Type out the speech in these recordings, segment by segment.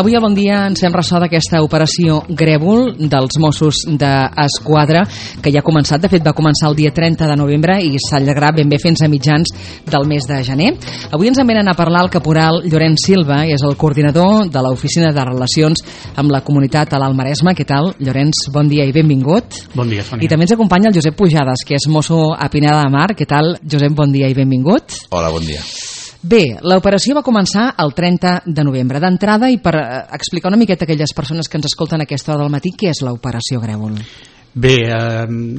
Avui a Bon Dia ens fem ressò d'aquesta operació Grèvol dels Mossos d'Esquadra, que ja ha començat. De fet, va començar el dia 30 de novembre i s'allargarà ben bé fins a mitjans del mes de gener. Avui ens en venen a parlar el caporal Llorenç Silva, és el coordinador de l'Oficina de Relacions amb la Comunitat a l'Alt Maresme. Què tal, Llorenç? Bon dia i benvingut. Bon dia, Sònia. I també ens acompanya el Josep Pujades, que és mosso a Pineda de Mar. Què tal, Josep? Bon dia i benvingut. Hola, bon dia. Bé, l'operació va començar el 30 de novembre. D'entrada, i per explicar una miqueta a aquelles persones que ens escolten a aquesta hora del matí, què és l'operació Grèvol? Bé,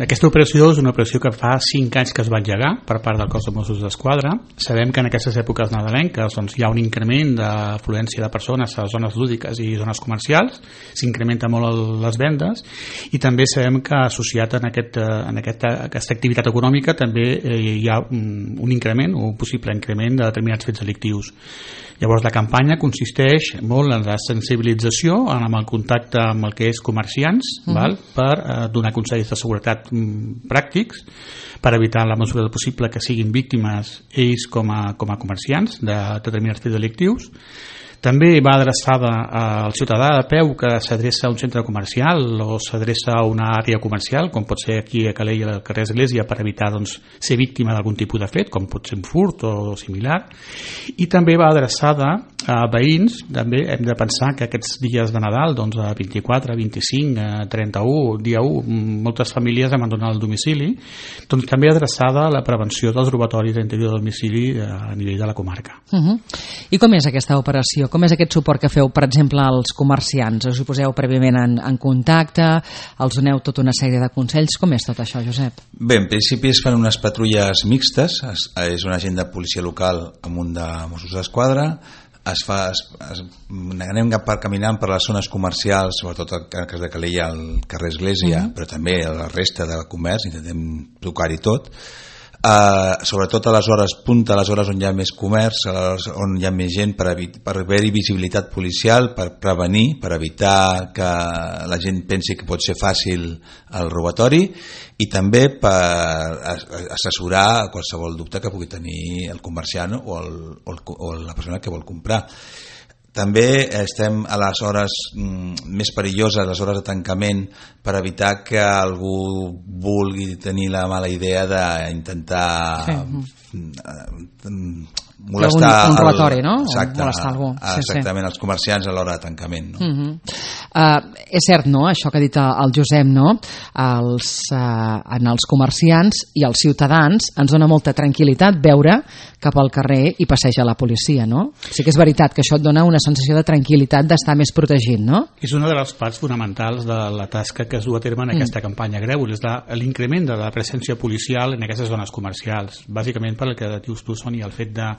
aquesta operació és una operació que fa 5 anys que es va engegar per part del cos de Mossos d'Esquadra. Sabem que en aquestes èpoques nadalenques doncs, hi ha un increment d'afluència de persones a zones lúdiques i zones comercials, s'incrementa molt les vendes, i també sabem que associat en aquesta activitat econòmica també hi ha un increment o un possible increment de determinats fets delictius. Llavors la campanya consisteix molt en la sensibilització, en el contacte amb el que és comerciants, val? Per donar consells de seguretat pràctics, per evitar en la mesura del possible que siguin víctimes ells com a comerciants de determinats fets delictius. També va adreçada al ciutadà de peu que s'adreça a un centre comercial o s'adreça a una àrea comercial, com pot ser aquí a Calella, al carrer Església, per evitar ser víctima d'algun tipus de fet, com pot ser un furt o similar. I també va adreçada a veïns. També hem de pensar que aquests dies de Nadal, doncs a 24, 25, 31, dia 1, moltes famílies abandonen el domicili, doncs també adreçada a la prevenció dels robatoris a l'interior del domicili a nivell de la comarca. I com és aquesta operació? Com és aquest suport que feu, per exemple, als comerciants? Us hi poseu prèviament en contacte? Els doneu tota una sèrie de consells? Com és tot això, Josep? Bé, en principi es fan unes patrulles mixtes. És un agent de policia local amb un de Mossos d'Esquadra. Anem caminant per les zones comercials, sobretot en el cas de Calella, al carrer Església, però també a la resta de comerç, intentem tocar-hi tot. Sobretot a les hores punta, a les hores on hi ha més comerç, on hi ha més gent, per haver-hi visibilitat policial, per prevenir, per evitar que la gent pensi que pot ser fàcil el robatori, i també per assessorar qualsevol dubte que pugui tenir el comerciant o la persona que vol comprar. També estem a les hores més perilloses, les hores de tancament, per evitar que algú vulgui tenir la mala idea d'intentar molestar un robatori, no? Exacte, molestar algú. Exactament, els comerciants a l'hora de tancament, no? És cert, no?, això que ha dit el Josep, no? En els comerciants i els ciutadans ens dona molta tranquil·litat veure cap al carrer i passeja la policia, no? Sí que és veritat que això et dona una sensació de tranquil·litat, d'estar més protegit, no? És una de les parts fonamentals de la tasca que es du a terme en aquesta campanya Grèvol, és l'increment de la presència policial en aquestes zones comercials, bàsicament per el que dius tu, Sònia, el fet de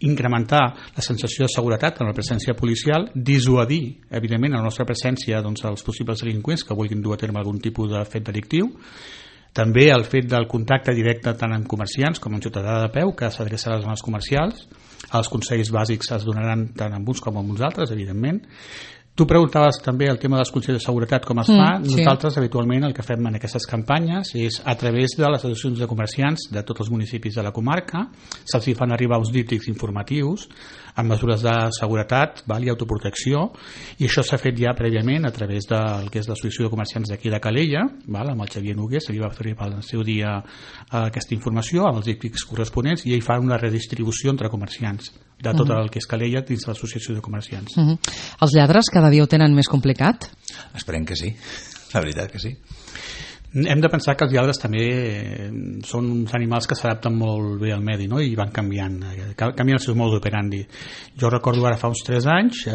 incrementar la sensació de seguretat en la presència policial, dissuadir evidentment a la nostra presència els possibles delinqüents que vulguin dur a terme algun tipus de fet delictiu. També el fet del contacte directe tant amb comerciants com amb ciutadà de peu que s'adreça a les zones comercials. Els consells bàsics es donaran tant amb uns com amb uns altres, evidentment. Tu preguntaves també el tema dels consells de seguretat, com es fa. Nosaltres habitualment el que fem en aquestes campanyes és a través de les associacions de comerciants de tots els municipis de la comarca, se'ls fan arribar uns díptics informatius amb mesures de seguretat i autoprotecció, i això s'ha fet ja prèviament a través del que és l'associació de comerciants d'aquí de Calella, amb el Xavier Noguer, se li va fer al seu dia aquesta informació amb els díptics corresponents, i ell fa una redistribució entre comerciants de tot el que és Calella dins de l'associació de comerciants. Els lladres cada dia ho tenen més complicat? Esperem que sí, la veritat que sí. Hem de pensar que els lladres també són uns animals que s'adapten molt bé al medi, no? I van canviant els seus modus operandi. Jo recordo ara fa uns 3 anys,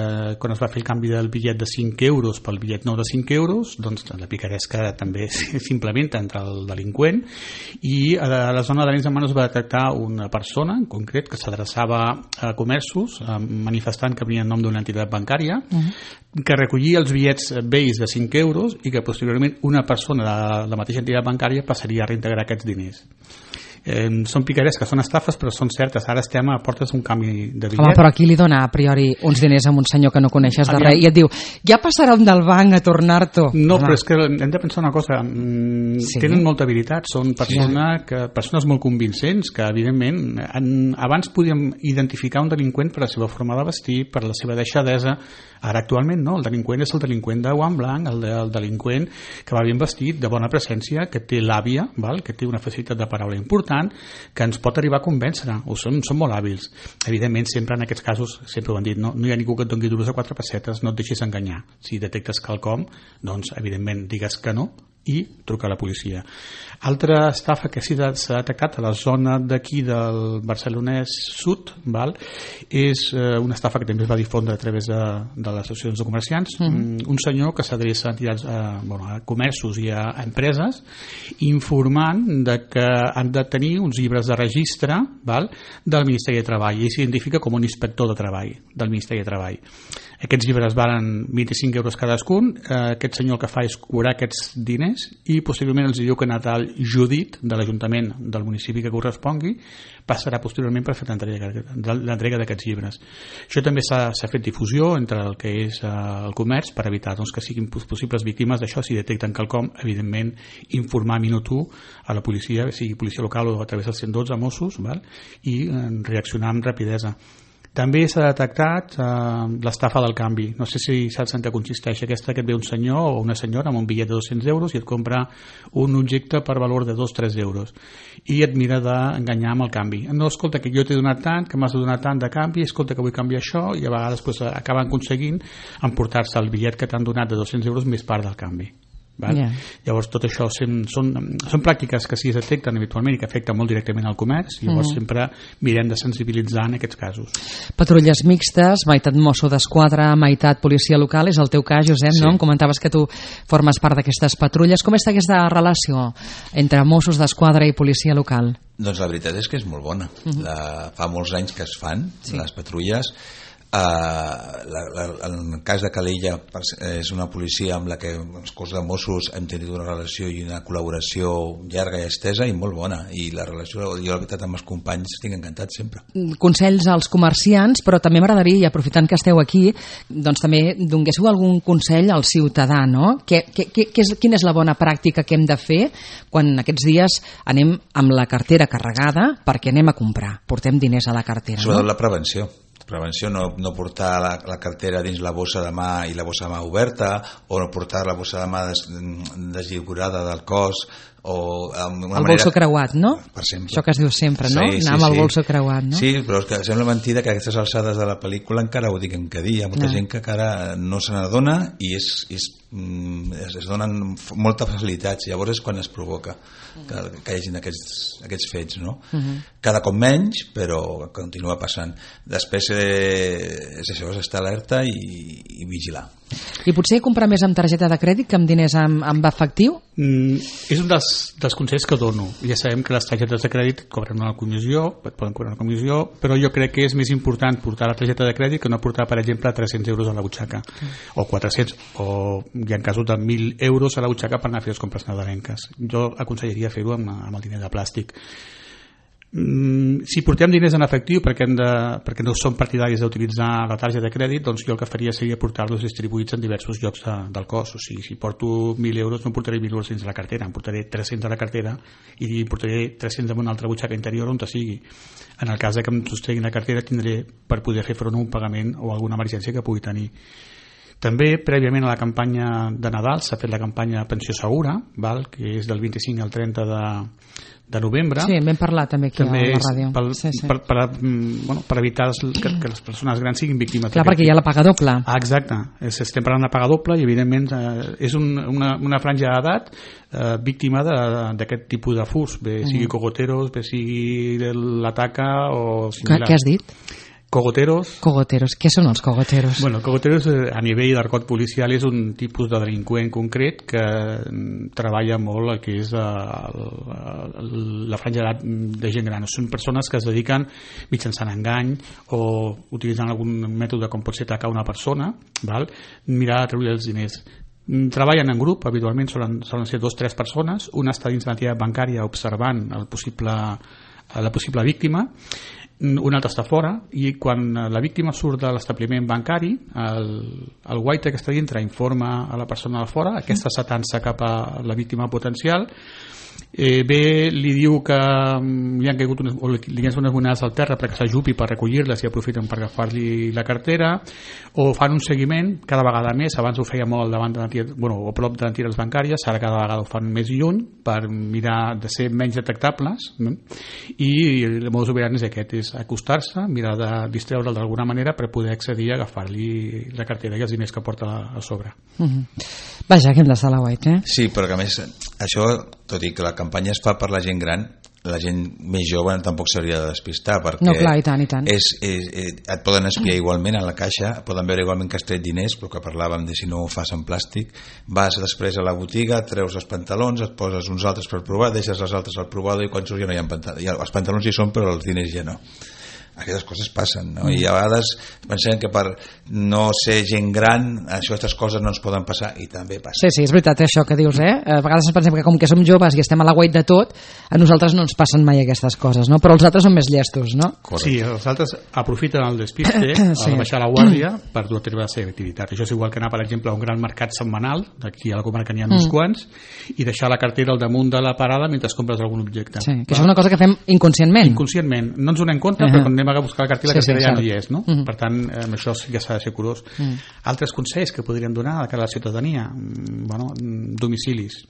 quan es va fer el canvi del bitllet de 5 euros pel bitllet nou de 5 euros, doncs la picaresca també s'implementa entre el delinqüent, i a la zona d'Arenys de Mar es va detectar una persona en concret que s'adreçava a comerços manifestant que venia en nom d'una entitat bancària, que recollia els bitllets vells de 5 euros i que posteriorment una persona de la mateixa entitat bancària passaria a reintegrar aquests diners. són picaretes que són estafes, però són certes. Ara estem a portes d'un canvi de bitllet. Home, però qui li dona a priori uns diners a un senyor que no coneixes de res i et diu, ja passarem del banc a tornar-t'ho? No, però és que hem de pensar una cosa. Tenen molta habilitat, són persones molt convincents que, evidentment, abans podíem identificar un delinqüent per la seva forma de vestir, per la seva deixadesa. Ara, actualment, no. El delinqüent és el delinqüent de guant blanc, el delinqüent que va ben vestit, de bona presència, que té l'àvia, que té una facilitat de paraula important, que ens pot arribar a convèncer. Són molt hàbils. Evidentment, sempre en aquests casos, sempre ho han dit, no hi ha ningú que et doni duros a 4 pessetes, no et deixis enganyar. Si detectes quelcom, doncs, evidentment, digues que no i truca a la policia. Altra estafa que s'ha detectat a la zona d'aquí del Barcelonès Sud, és una estafa que també es va difondre a través de les associacions de comerciants. Un senyor que s'adreça a comerços i a empreses informant de que han de tenir uns llibres de registre del Ministeri de Treball i s'identifica com un inspector de treball del Ministeri de Treball. Aquests llibres valen 25 euros cadascun. Aquest senyor el que fa és cobrar aquests diners i posteriorment els diu que Natal Judit de l'Ajuntament del municipi que correspongui passarà posteriorment per fer l'entrega d'aquests llibres. Això també s'ha fet difusió entre el que és el comerç per evitar que siguin possibles víctimes d'això. Si detecten quelcom, evidentment informar minut 1 a la policia, sigui policia local o a través del 112 Mossos, i reaccionar amb rapidesa. També s'ha detectat l'estafa del canvi. No sé si saps en què consisteix aquesta, que et ve un senyor o una senyora amb un bitllet de 200 euros i et compra un objecte per valor de 2-3 euros i et mira d'enganyar amb el canvi. No, escolta, que jo t'he donat tant, que m'has de donar tant de canvi, escolta, que vull canviar això, i a vegades acaben aconseguint emportar-se el bitllet que t'han donat de 200 euros més part del canvi. Llavors tot això són pràctiques que sí es detecten habitualment i que afecten molt directament al comerç. Llavors sempre mirem de sensibilitzar en aquests casos. Patrulles mixtes, meitat mosso d'esquadra, meitat policia local, és el teu cas, Josep, no? Em comentaves que tu formes part d'aquestes patrulles. Com està aquesta relació entre Mossos d'Esquadra i policia local? Doncs la veritat és que és molt bona. Fa molts anys que es fan les patrulles. En el cas de Calella és una policia amb la que els cos de Mossos hem tingut una relació i una col·laboració llarga i estesa i molt bona, i la relació, jo la veritat, amb els companys estic encantat sempre. Consells als comerciants, però també m'agradaria, i aprofitant que esteu aquí, doncs també donguéssiu algun consell al ciutadà, no? Quina és la bona pràctica que hem de fer quan aquests dies anem amb la cartera carregada perquè anem a comprar, portem diners a la cartera, Sobretot la prevenció, no portar la cartera dins la bossa de mà i la bossa de mà oberta, o no portar la bossa de mà deslligurada del cos, o el bolso creuat, no? Per sempre. Això que es diu sempre, no? Anar amb el bolso creuat, no? Sí, però és que sembla mentida que a aquestes alçades de la pel·lícula encara ho diguem cada dia. Hi ha molta gent que encara no se n'adona i es donen moltes facilitats. Llavors és quan es provoca que hi hagin aquests fets, no? Cada cop menys, però continua passant. Després és això, és estar alerta i vigilar. I potser comprar més amb targeta de crèdit que amb diners amb efectiu? És un dels consells que dono. Ja sabem que les targetes de crèdit cobren una comissió, et poden cobrar una comissió, però jo crec que és més important portar la targeta de crèdit que no portar, per exemple, 300 euros a la butxaca, o 400, o hi ha casos de 1.000 euros a la butxaca per anar a fer les compres nadalenques. Jo aconsellaria fer-ho amb el diner de plàstic. Si portem diners en efectiu perquè no som partidaris d'utilitzar la targeta de crèdit, doncs jo el que faria seria portar-los distribuïts en diversos llocs del cos. O sigui, si porto 1.000 euros no portaré 1.000 euros dins la cartera, em portaré 300 a la cartera i portaré 300 en una altra butxaca interior on sigui. En el cas que em sostregui la cartera tindré per poder fer front a un pagament o alguna emergència que pugui tenir. També, prèviament a la campanya de Nadal, s'ha fet la campanya Pensió Segura, que és del 25 al 30 de novembre. Sí, vam parlar també aquí a la ràdio. Per evitar que les persones grans siguin víctimes. Clar, perquè hi ha la paga doble. Exacte, estem parlant de paga doble i evidentment és una franja d'edat víctima d'aquest tipus de furs, bé sigui cogoteros, bé sigui l'ataca o similar. Què has dit? Cogoteros. Cogoteros. Què són els cogoteros? Bueno, cogoteros a nivell d'argot policial és un tipus de delinqüent concret que treballa molt el que és la franja d'edat de gent gran. Són persones que es dediquen mitjançant engany o utilitzant algun mètode com pot ser atacar una persona, mirar de treure els diners. Treballen en grup, habitualment solen ser 2 o 3 persones, una està dins l'entitat bancària observant la possible víctima, un altre està fora, i quan la víctima surt de l'establiment bancari, el guaita que està dintre informa a la persona de fora, aquesta s'atança cap a la víctima potencial, li diu que li han caigut unes monades al terra perquè s'ajupi per recollir-les i aprofiten per agafar-li la cartera, o fan un seguiment cada vegada més. Abans ho feia molt davant o prop d'entitats bancàries, ara cada vegada ho fan més lluny per mirar de ser menys detectables, no? I el modus operandi és aquest, és acostar-se, mirar de distreure'l d'alguna manera per poder accedir a agafar-li la cartera i els diners que porta a sobre. Vaja, que hem d'estar a la guait, Sí, però que a més això, tot i que la campanya es fa per la gent gran, la gent més jove tampoc s'hauria de despistar, perquè no, clar, i tant. Et poden espiar igualment a la caixa, poden veure igualment que has tret diners, però que parlàvem de si no ho fas en plàstic. Vas després a la botiga, treus els pantalons, et poses uns altres per provar, deixes els altres al provador i quan surts ja no hi ha pantalons. Els pantalons hi són, però els diners ja no. Aquestes coses passen, no? I a vegades pensem que per no ser gent gran aquestes coses no ens poden passar, i també passa. Sí, és veritat això que dius, A vegades pensem que com que som joves i estem a la guait de tot, a nosaltres no ens passen mai aquestes coses, no? Però els altres són més llestos, no? Correcte. Sí, els altres aprofiten el despiste a baixar la guàrdia per dur a terme la seva activitat. Això és igual que anar, per exemple, a un gran mercat setmanal, d'aquí a la comarca n'hi ha uns quants, i deixar la cartera al damunt de la parada mentre compres algun objecte. Sí, que això és una cosa que fem inconscientment. Inconscientment. No ens donem compte, però quan anem a buscar la cartera, la cartera ja no hi és, no? Per tant, amb això sí que s'ha de ser curós. Altres consells que podríem donar a la ciutadania, domicilis.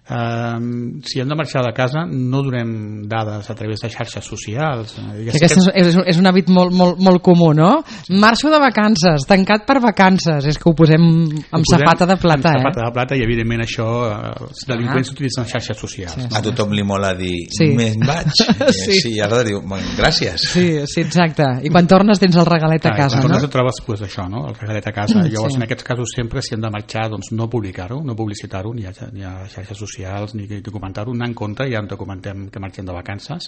Si hem de marxar de casa, no donem dades a través de xarxes socials. És un hàbit molt comú, no? Marxo de vacances, tancat per vacances, és que ho posem amb safata de plata. Amb safata de plata, i evidentment això els delinqüents utilitzen xarxes socials. A tothom li mola dir me'n vaig, i ara diu gràcies. Sí, exacte, i quan tornes tens el regalet a casa, no? Quan tornes et trobes això, el regalet a casa. Llavors en aquests casos sempre, si hem de marxar, no publicar-ho, no publicitar-ho, ni a xarxes socials, ni documentar-ho, anar en compte, ja en documentem que marxem de vacances,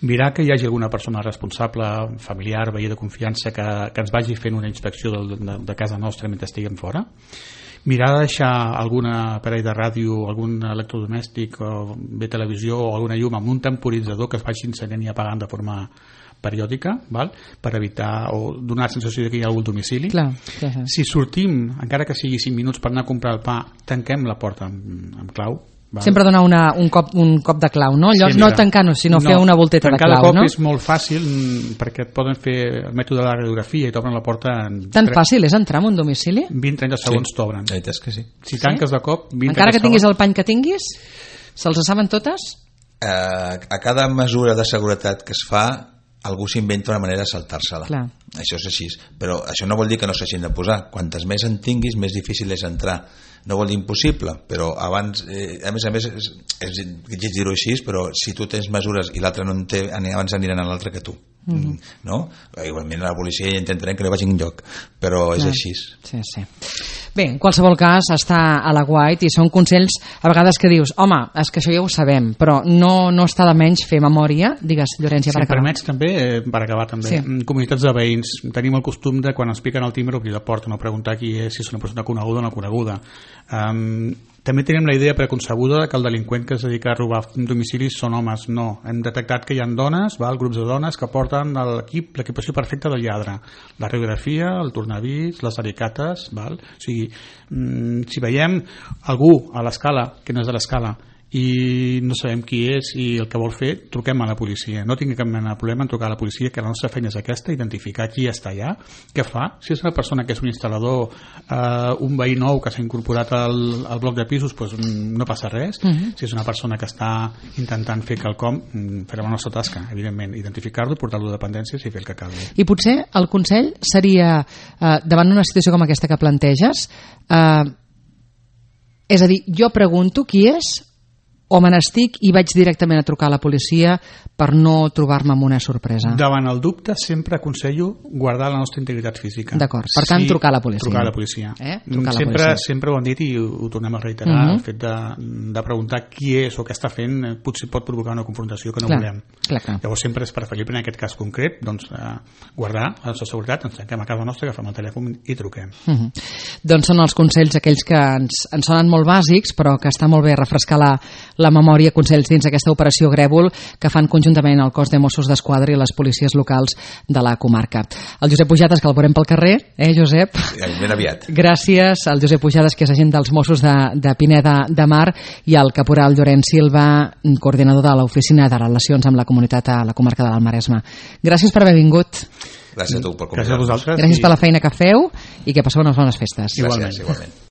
mirar que hi hagi alguna persona responsable, familiar, veí de confiança, que ens vagi fent una inspecció de casa nostra mentre estiguem fora, mirar de deixar algun aparell de ràdio, algun electrodomèstic, o bé televisió o alguna llum amb un temporitzador que es vagi encenent i apagant de forma periòdica, per evitar o donar la sensació que hi ha algun domicili. Clar. Si sortim, encara que sigui 5 minuts per anar a comprar el pa, tanquem la porta amb clau. Sempre donar un cop de clau, no? Allò, no tancar-nos, sinó fer una volteta de clau, no? Cada cop és molt fàcil, perquè et poden fer el mètode de la radiografia i t'obren la porta Tan fàcil és entrar en un domicili? 20-30 segons t'obren. La veritat és que sí. Si tanques de cop, 20 encara que tinguis el pany que tinguis, se'ls saben totes? A cada mesura de seguretat que es fa, algú s'inventa una manera de saltar-se-la. Clar. Això és així, però això no vol dir que no s'hagin de posar. Quantes més en tinguis, més difícil és entrar. No vol dir impossible, però abans, a més, és dir-ho així, però si tu tens mesures i l'altre no en té, abans aniran a l'altre que tu. No? Igualment la policia intentarem que no vagi enlloc, però és així. Sí. Bé, en qualsevol cas està a la guait i són consells a vegades que dius, home, és que això ja ho sabem, però no està de menys fer memòria. Digues, Llorenç, per acabar. Si em permets també, per acabar també, comunitats de veïns, tenim el costum de quan ens piquen al timbre obrir la porta, no preguntar qui és, si és una persona coneguda o no coneguda. També tenim la idea preconcebuda que el delinqüent que es dedica a robar domicilis són homes. No, hem detectat que hi ha dones, grups de dones que porten l'equipació perfecta del lladre, la radiografia, el tornavís, les alicates, o sigui, si veiem algú a l'escala que no és de l'escala i no sabem qui és i el que vol fer, truquem a la policia. No tinguem cap mena de problema en trucar a la policia, que la nostra feina és aquesta, identificar qui està allà, què fa. Si és una persona que és un instal·lador, un veí nou que s'ha incorporat al bloc de pisos, no passa res. Si és una persona que està intentant fer quelcom, farem la nostra tasca, evidentment, identificar-lo, portar-lo a dependències i fer el que calgui. I potser el consell seria, davant una situació com aquesta que planteges, és a dir, jo pregunto qui és, o me n'estic i vaig directament a trucar a la policia per no trobar-me amb una sorpresa? Davant el dubte sempre aconsello guardar la nostra integritat física. D'acord, per tant, trucar a la policia. Trucar a la policia. Trucar a la policia. Sempre ho hem dit i ho tornem a reiterar, el fet de preguntar qui és o què està fent potser pot provocar una confrontació que no volem. Clar. Llavors sempre és preferible en aquest cas concret guardar la nostra seguretat, ens tanquem a casa nostra, agafem el telèfon i truquem. Doncs són els consells aquells que ens sonen molt bàsics, però que està molt bé refrescar la memòria, consells dins d'aquesta operació Grèvol que fan conjuntament el cos de Mossos d'Esquadra i les policies locals de la comarca. El Josep Pujades, que el veurem pel carrer, Josep? Ben aviat. Gràcies al Josep Pujades, que és agent dels Mossos de Pineda de Mar, i al caporal Llorenç Silva, coordinador de l'Oficina de Relacions amb la Comunitat a la comarca de l'Alt Maresme. Gràcies per haver vingut. Gràcies a tu per convidar-nos. Gràcies per la feina que feu i que passeu unes bones festes. Gràcies, igualment.